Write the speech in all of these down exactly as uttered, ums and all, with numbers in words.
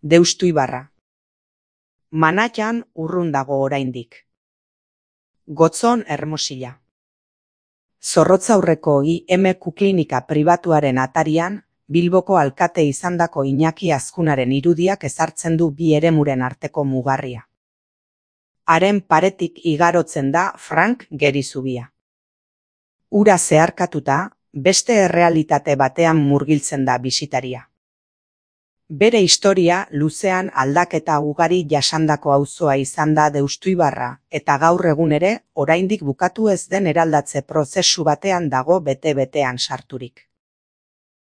Deustuibarra. Manatxan urrun dago oraindik. Gotzon Hermosilla. Zorrotzaurreko I M Q klinika pribatuaren atarian, Bilboko alkate izandako Iñaki Azkunaren irudiak ezartzen du bi eremuren arteko mugarria. Haren paretik igarotzen da Frank Gerizubia. Ura zeharkatuta, beste errealitate batean murgiltzen da bisitaria. Bere historia luzean aldaketa ugari jasandako auzoa izan da Deustuibarra, eta gaur egun ere, oraindik bukatu ez den eraldatze prozesu batean dago bete-betean sarturik.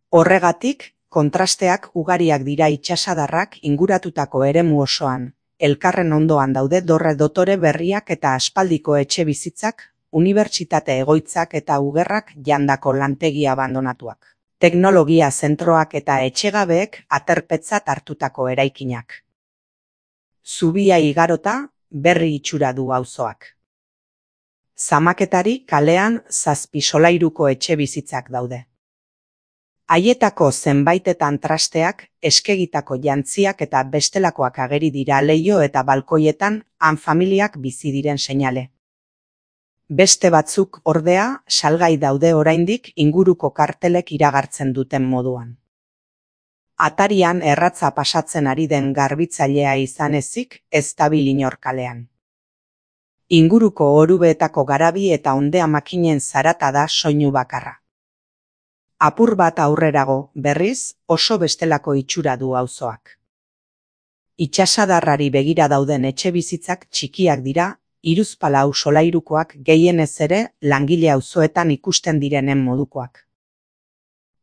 Horregatik, kontrasteak ugariak dira itsasadarrak inguratutako eremu osoan, elkarren ondoan daude dorre dotore berriak eta aspaldiko etxe bizitzak, unibertsitate egoitzak eta ugerrak jandako lantegi abandonatuak. Teknologia zentroak eta etxegabeek aterpetzat hartutako eraikinak. Zubia igarota, berri itxura du auzoak. Zamaketari kalean zazpi solairuko etxe bizitzak daude. Haietako zenbaitetan trasteak, eskegitako jantziak eta bestelakoak ageri dira leiho eta balkoietan han familiak bizi diren seinale. Beste batzuk ordea salgai daude oraindik inguruko kartelek iragartzen duten moduan. Atarian erratza pasatzen ari den garbitzailea izan ezik ez dabil inor kalean. Inguruko orubeetako garabi eta ondea makinen zarata da soinu bakarra. Apur bat aurrerago, berriz, oso bestelako itxura du auzoak. Itsasadarrari begira dauden etxe bizitzak txikiak dira, hiruzpalau solairukoak gehienez ere langile auzoetan ikusten direnen modukoak.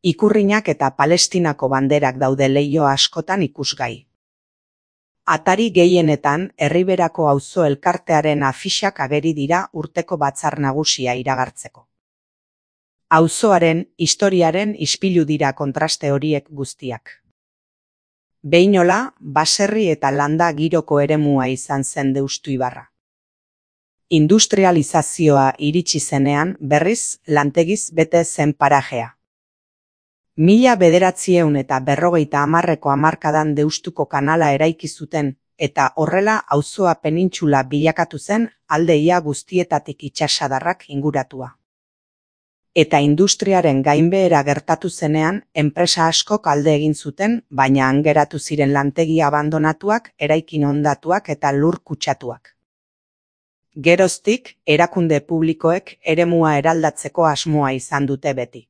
Ikurrinak eta Palestinako banderak daude leiho askotan ikusgai. Atari gehienetan Erriberako auzo elkartearen afixak ageri dira urteko batzar nagusia iragartzeko. Auzoaren, historiaren ispilu dira kontraste horiek guztiak. Behinola, baserri eta landa giroko eremua izan zen Deustuibarra. Industrializazioa iritsi zenean berriz lantegiz bete zen parajea. Mila bederatzieun eta berrogeita hamarreko hamarkadan Deustuko kanala eraiki zuten eta horrela auzoa penintxula bilakatu zen alde ia guztietatik itsasadarrak inguratua. Eta industriaren gainbehera gertatu zenean enpresa askok alde egin zuten, baina han geratu ziren lantegi abandonatuak, eraikin hondatuak eta lur kutsatuak. Geroztik, erakunde publikoek eremua eraldatzeko asmoa izan dute beti.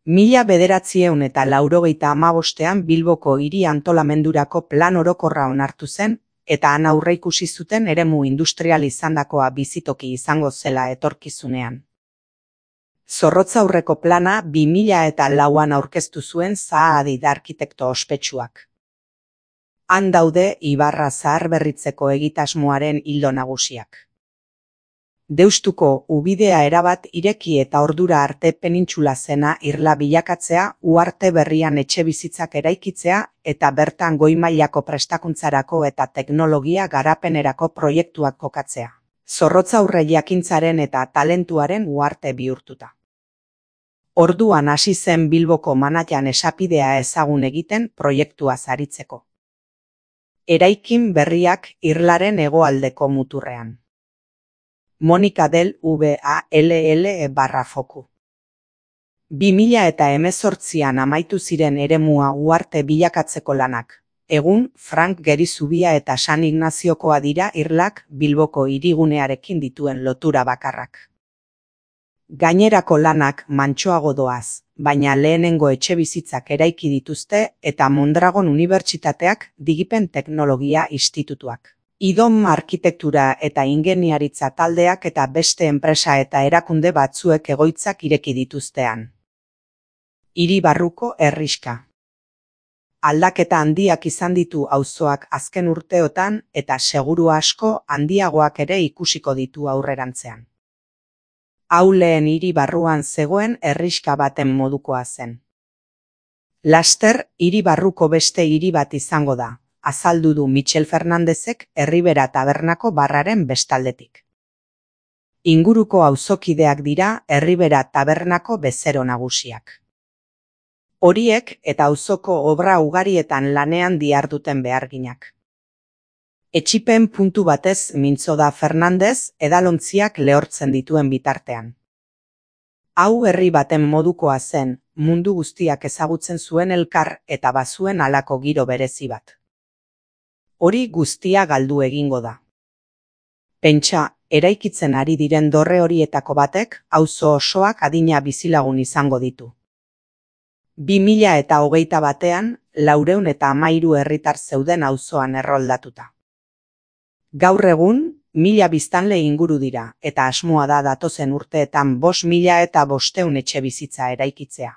Mila bederatzieun eta laurogeita hamabostean Bilboko hiri antolamendurako plan orokorra onartu zen, eta han aurreikusi zuten eremu industrial izandakoa bizitoki izango zela etorkizunean. Zorrotzaurreko plana bi mila eta lauan aurkeztu zuen Zaha-Hadid arkitekto ospetsuak. Han daude Ibarra zaharberritzeko egitasmoaren ildo nagusiak. Deustuko ubidea erabat ireki eta ordura arte penintxula zena irla bilakatzea, uharte berrian etxe bizitzak eraikitzea eta bertan goi-mailako prestakuntzarako eta teknologia garapenerako proiektuak kokatzea. Zorrotzaurre jakintzaren eta talentuaren uharte bihurtuta. Orduan hasi zen Bilboko Manatxan esapidea ezagun egiten proiektua aritzeko. Eraikin berriak irlaren hegoaldeko muturrean. Monika del V A L L barra foku. Bi mila eta hemezortzian amaitu ziren eremua uharte bilakatzeko lanak. Egun, Frank Gerizubia eta San Ignaziokoa dira irlak Bilboko hirigunearekin dituen lotura bakarrak. Gainerako lanak mantsoago doaz, baina lehenengo etxe bizitzak eraiki dituzte eta Mondragon Unibertsitateak Digipen Teknologia Institutuak. Idom arkitektura eta ingeniaritza taldeak eta beste enpresa eta erakunde batzuek egoitzak ireki dituztean. Hiri barruko herrixka. Aldaketa handiak izan ditu auzoak azken urteotan eta seguru asko handiagoak ere ikusiko ditu aurrerantzean. Hau lehen hiri barruan zegoen herrixka baten modukoa zen. Laster, hiri barruko beste hiri bat izango da, azaldu du Michel Fernandezek Erribera tabernako barraren bestaldetik. Inguruko auzokideak dira Erribera tabernako bezero nagusiak. Horiek eta auzoko obra ugarietan lanean diharduten beharginak. Etxipen puntu batez mintzo da Fernandez edalontziak lehortzen dituen bitartean. Hau herri baten modukoa zen, mundu guztiak ezagutzen zuen elkar eta bazuen halako giro berezi bat. Hori guztia galdu egingo da. Pentsa, eraikitzen ari diren dorre horietako batek auzo osoak adina bizilagun izango ditu. Bi mila eta hogeita batean, laurehun eta hamairu herritar zeuden auzoan erroldatuta. Gaur egun, mila biztanle inguru dira, eta asmoa da datozen urteetan bost mila eta bostehun etxe bizitza eraikitzea.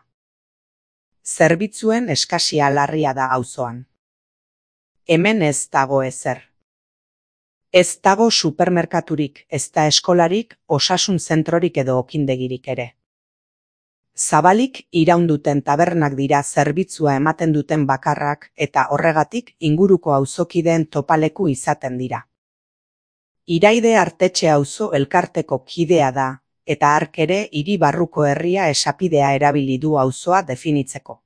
Zerbitzuen eskasia larria da auzoan. Hemen ez dago ezer. Ez dago supermerkaturik, ez da eskolarik, osasun zentrorik edo okindegirik ere. Zabalik iraunduten tabernak dira zerbitzua ematen duten bakarrak eta horregatik inguruko auzokideen topaleku izaten dira. Iraide Artetxe auzo elkarteko kidea da, eta hark ere hiri barruko herria esapidea erabili du auzoa definitzeko.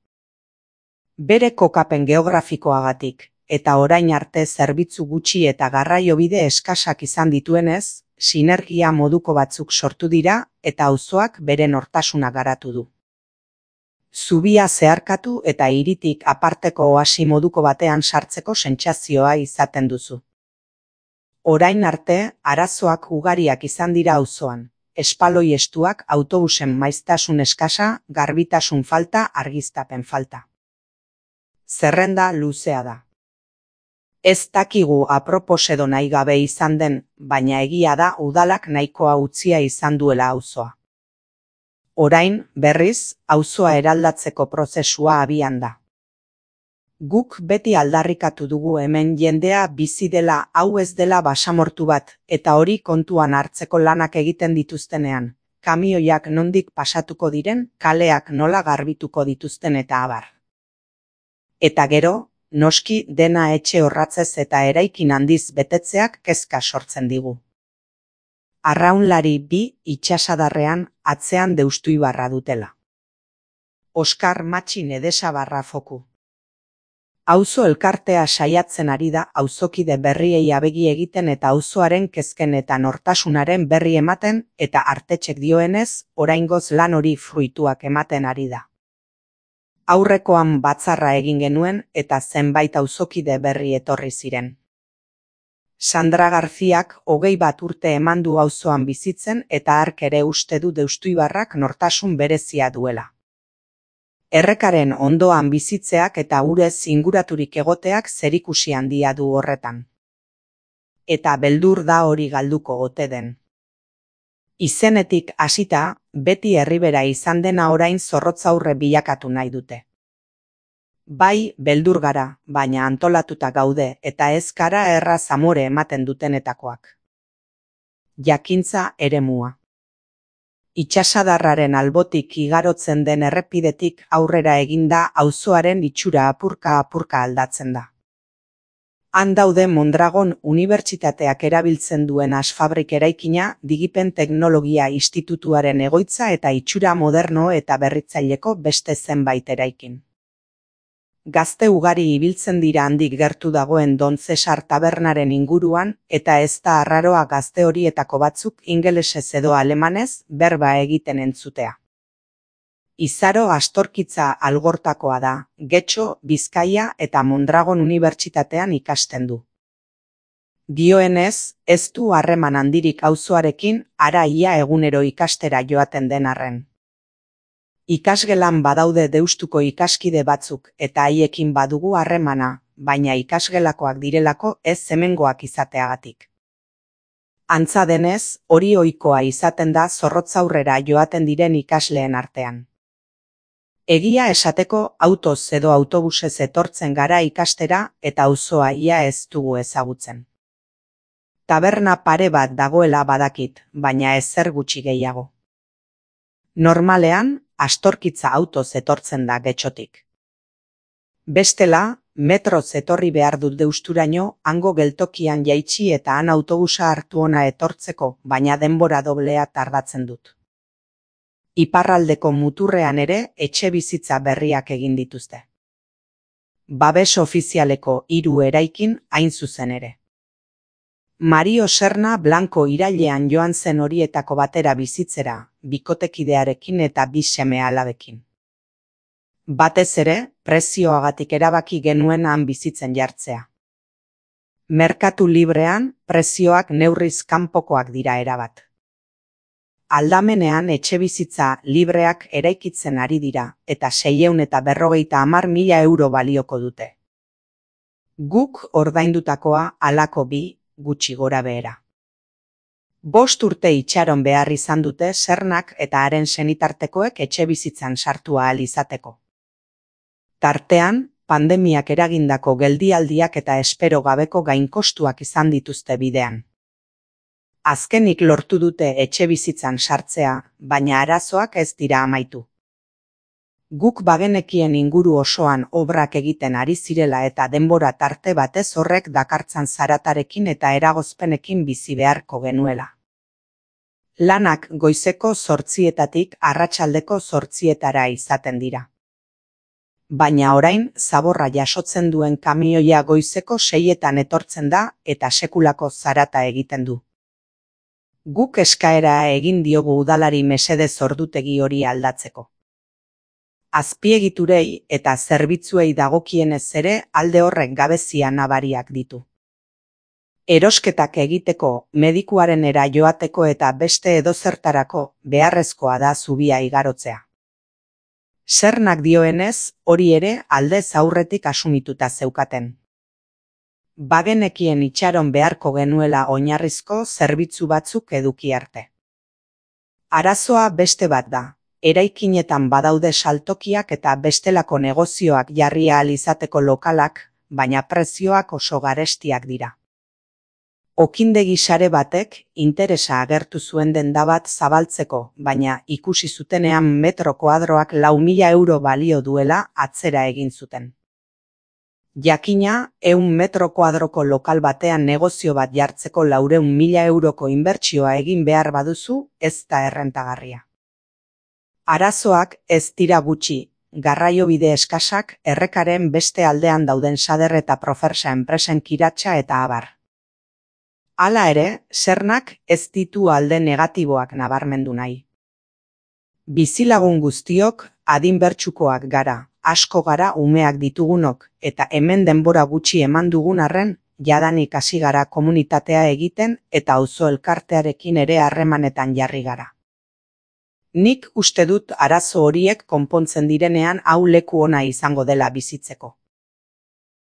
Bere kokapen geografikoagatik, eta orain arte zerbitzu gutxi eta garraiobide eskasak izan dituenez, sinergia moduko batzuk sortu dira eta auzoak bere nortasuna garatu du. Zubia zeharkatu eta hiritik aparteko oasi moduko batean sartzeko sentsazioa izaten duzu. Orain arte, arazoak ugariak izan dira auzoan, espaloi estuak, autobusen maiztasun eskasa, garbitasun falta, argiztapen falta. Zerrenda luzea da. Ez dakigu apropos edo nahi gabe izan den, baina egia da udalak nahikoa utzia izan duela auzoa. Orain, berriz, auzoa eraldatzeko prozesua abian da. Guk beti aldarrikatu dugu hemen jendea bizi dela hau ez dela basamortu bat, eta hori kontuan hartzeko lanak egiten dituztenean, kamioiak nondik pasatuko diren, kaleak nola garbituko dituzten eta abar. Eta gero, noski dena etxe horratzez eta eraikin handiz betetzeak kezka sortzen digu. Arraunlari bi itsasadarrean atzean Deustuibarra dutela. Oskar Matxin Edesabarra foku. Auzo elkartea saiatzen ari da auzokide berriei abegi egiten eta auzoaren kezken eta nortasunaren berri ematen eta Artetxek dioenez, oraingoz lan hori fruituak ematen ari da. Aurrekoan batzarra egin genuen eta zenbait auzokide berri etorri ziren. Sandra Garziak hogei bat urte eman du auzoan bizitzen eta hark ere uste du Deustuibarrak nortasun berezia duela. Errekaren ondoan bizitzeak eta urez inguraturik egoteak zerikusi handia du horretan. Eta beldur da hori galduko ote den. Izenetik hasita, beti herribera izan dena orain zorrotzaurre bilakatu nahi dute. Bai, beldur gara, baina antolatuta gaude eta ez gara erraz amore ematen dutenetakoak. Jakintza eremua. Itsasadarraren albotik igarotzen den errepidetik aurrera eginda auzoaren itxura apurka-apurka aldatzen da. Han daude Mondragon Unibertsitateak erabiltzen duen asfabrik eraikina Digipen Teknologia Institutuaren egoitza eta itxura moderno eta berritzaileko beste zenbait eraikin. Gazte ugari ibiltzen dira handik gertu dagoen Don Cesar tabernaren inguruan eta ez da arraroa gazte horietako batzuk ingelesez edo alemanez berba egiten entzutea. Izaro Astorkitza Algortakoa da, Getxo, Bizkaia eta Mondragon Unibertsitatean ikasten du. Dioenez, ez du harreman handirik auzoarekin hara ia egunero ikastera joaten den arren. Ikasgelan badaude Deustuko ikaskide batzuk eta haiekin badugu harremana, baina ikasgelakoak direlako ez hemengoak izateagatik. Antza denez, hori ohikoa izaten da zorrotzaurrera joaten diren ikasleen artean. Egia esateko autoz edo autobusez etortzen gara ikastera eta auzoa ia ez dugu ezagutzen. Taberna pare bat dagoela badakit, baina ezer gutxi gehiago. Normalean, Astorkitza autoz etortzen da Getxotik. Bestela, metroz etorri behar dut Deusturaino, hango geltokian jaitsi eta han autobusa hartu ona etortzeko, baina denbora doblea tardatzen dut. Iparraldeko muturrean ere etxe bizitza berriak egin dituzte. Babes ofizialeko hiru eraikin hain zuzen ere. Mario Serna Blanco irailean joan zen horietako batera bizitzera, bikotekidearekin eta bi seme-alabekin. Batez ere, prezioagatik erabaki genuen han bizitzen jartzea. Merkatu librean, prezioak neurriz kanpokoak dira erabat. Aldamenean etxebizitza libreak eraikitzen ari dira, eta seiehun eta berrogeita hamar mila euro balioko dute. Guk ordaindutakoa halako bi, gutxi gora behera. Bost urte itxaron behar izan dute Sernak eta haren senitartekoek etxebizitzan sartu ahal izateko. Tartean, pandemiak eragindako geldialdiak eta espero gabeko gainkostuak izan dituzte bidean. Azkenik lortu dute etxebizitzan sartzea, baina arazoak ez dira amaitu. Guk bagenekien inguru osoan obrak egiten ari zirela eta denbora tarte batez horrek dakartzan zaratarekin eta eragozpenekin bizi beharko genuela. Lanak goizeko zortzietatik arratsaldeko zortzietara izaten dira. Baina orain zaborra jasotzen duen kamioia goizeko seietan etortzen da eta sekulako zarata egiten du. Guk eskaera egin diogu udalari mesedez ordutegi hori aldatzeko. Azpiegiturei eta zerbitzuei dagokienez ere alde horrek gabezia nabariak ditu. Erosketak egiteko, medikuarenera joateko eta beste edozertarako beharrezkoa da zubia igarotzea. Sernak dioenez, hori ere aldez aurretik asumituta zeukaten. Bagenekien itxaron beharko genuela oinarrizko zerbitzu batzuk eduki arte. Arazoa beste bat da. Eraikinetan badaude saltokiak eta bestelako negozioak jarri ahal izateko lokalak, baina prezioak oso garestiak dira. Okindegi sare batek interesa agertu zuen denda bat zabaltzeko, baina ikusi zutenean metro koadroak lau mila euro balio duela atzera egin zuten. Jakina, ehun metro koadroko lokal batean negozio bat jartzeko laurehun mila euroko inbertsioa egin behar baduzu, ez da errentagarria. Arazoak ez dira gutxi, garraiobide eskasak errekaren beste aldean dauden Sader eta Profersa enpresen kiratsa eta abar. Hala ere, Sernak ez ditu alde negatiboak nabarmendu nahi. Bizilagun guztiok adin bertsukoak gara, asko gara umeak ditugunok, eta hemen denbora gutxi eman dugun arren, jadanik hasi gara komunitatea egiten eta auzo elkartearekin ere harremanetan jarri gara. Nik uste dut arazo horiek konpontzen direnean hau leku ona izango dela bizitzeko.